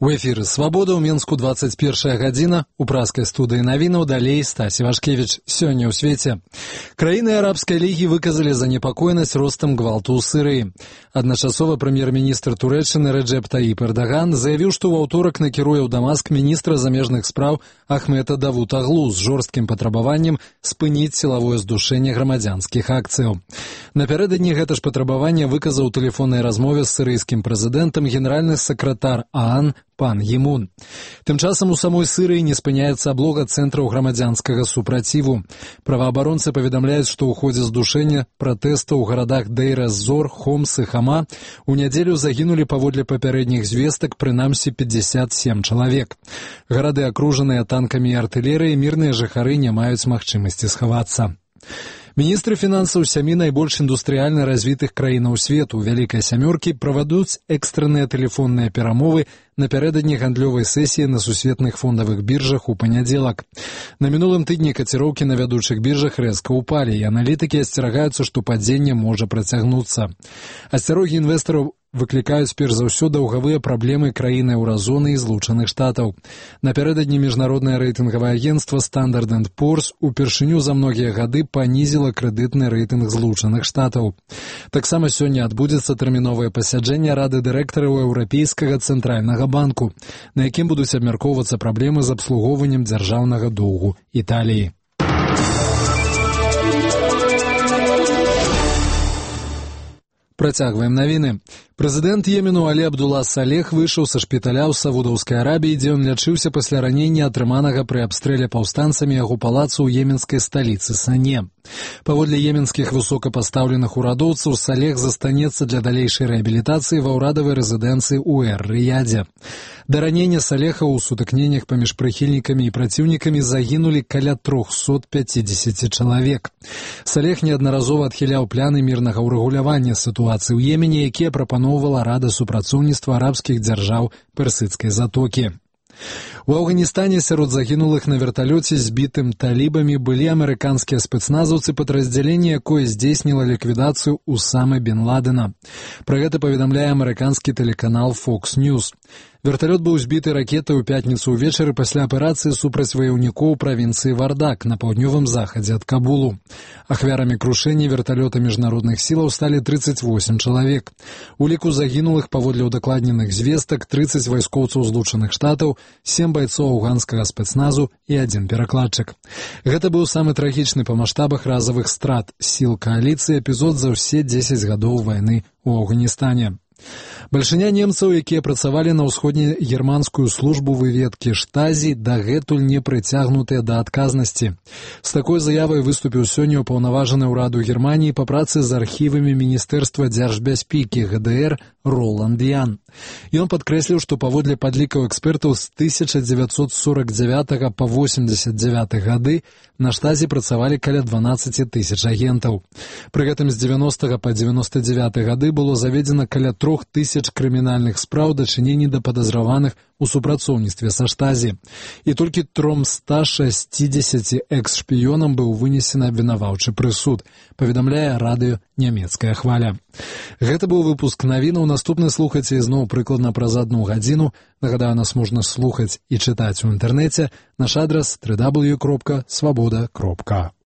У эфіры «Свабода» ў Менску 21 гадзіна. У праскай студыі навінаў далей Стасі Вашкевіч. Сёння ў свеце. Краіны Арабскай лігі выказалі занепакоенасць ростам гвалту ў Сірыі. Адначасова прэм'ер-міністр Турэччыны Рэджэп Таіп Эрдаган заявіў, што ў аўторак накіруе ў Дамаск міністра замежных спраў Ахмета Давутаглу з жорсткім патрабаваннем спыніць сілавое здушэнне грамадзянскіх акцыяў. Напярэдадні гэта ж патрабаванне выказаў у тэлефоннай размове з сірыйскім прэзідэнтам генеральны сакратар ААН Пан Гімун. Тым часам у самой Сірыі не спыняецца аблога цэнтраў грамадзянскага супраціву. Праваабаронцы паведамляюць, што ў ходзе здушэння пратэстаў у гарадах Дейр-эз-Зор, Хомс і Хама у нядзелю загінулі паводле папярэдніх звестак прынамсі 57 чалавек. Гарады акружаныя танкамі і артылерыяй, мірныя жыхары не маюць магчымасці схавацца. Міністры фінансаў сямі найбольш індустрыяльна развітых краінаў свету Вялікай сямёркі правядуць экстранныя тэлефонныя перамовы напярэдадні гандлёвай сесіі на сусветных фондавых біржах у панядзелак. На мінулым тыдні каціроўкі на вядучых біржах рэзка ўпалі, і аналітыкі асцерагаюцца, што падзенне можа працягнуцца. Асцярогі інвестараў выклікаюць перш за ўсё даўгавыя праблемы краіны еўразоны і Злучаных Штатаў. Напярэдадні міжнароднае рэйтынгавае агенцтва Standard & Poor's упершыню за многія гады панізіла крэдытны рэйтынг Злучаных Штатаў. Таксама сёння адбудзецца тэрміновае пасяджэнне Рады дырэктараў Еўрапейскага цэнтральнага банку, на якім будуць абмяркоўвацца праблемы з абслугоўваннем дзяржаўнага доўгу Італіі. Працягваем навіны. Прэзідэнт Йемену Алі Абдулла Салех выйшаў са шпіталя ў Саудаўскай Арабіі, дзе ён лячыўся пасля ранення, атрыманага пры абстрэле паўстанцамі яго палацу ў йеменскай сталіцы Сане. Паводле йеменскіх высокапастаўленых урадоўцаў, Салех застанецца для далейшай рэабілітацыі ва ўрадавай рэзідэнцыі ў Эр-Рыядзе. Да ранення Салеха ў сутыкненнях паміж прыхільнікамі і праціўнікамі загінулі каля 350 чалавек. Салех неаднаразова адхіляў пляны мірнага ўрэгулявання сітуацыі ў Йемене, якія прапаноўвала Рада супрацоўніцтва арабскіх дзяржаў Персыдскай затокі. У Афганістане сярод загінулых на верталёце збітым талібамі былі амерыканскія спецназаўцы падраздзялення, якое здзейсніла ліквідацыю Усамы бен Ладена. Пра гэта паведамляе амерыканскі тэлеканал Fox News. Верталёт быў збіты ракетай у пятніцу ўвечары пасля аперацыі супраць ваяўнікоў правінцыі Вардак на паўднёвым захадзе ад Кабулу. Ахвярамі крушэння верталёта міжнародных сілаў сталі 38 чалавек. У ліку загінулых паводле ўдакладненых звестак 30 вайскоўцаў Злучаных Штатаў, 7 байцоў афганскага спецназу і 1 перакладчык. Гэта быў самы трагічны па маштабах разавых страт сіл кааліцыі эпізод за ўсе 10 гадоў вайны ў Афганістане. Бальшыня немцаў, якія працавалі на ўсходнегерманскую службу выведкі Штазі, дагэтуль не прыцягнутыя да адказнасці. З такой заявай выступіў сёння ўпаўнаважаны ўраду Германіі па працы з архівамі Міністэрства дзяржбяспекі ГДР Роланд Ян. Ён падкрэсліў, што паводле падлікаў экспертаў з 1949 па 89 гады на Штазі працавалі каля 12 тысяч агентаў. Пры гэтым з 90 па 99 гады было заведзена каля 3000 крымінальных спраў дачынення да падазраваных у супрацоўніцтве са Штазі. І толькі 360 экс-шпіёнам быў вынесены абвінаваўчы прысуд, паведамляе радыё «Нямецкая хваля». Гэта быў выпуск навінаў. Наступны слухайце ізноў прыкладна праз 1 гадзіну. Нагадаю, нас можна слухаць і чытаць у інтэрнэце. Наш адрас www.swaboda.org.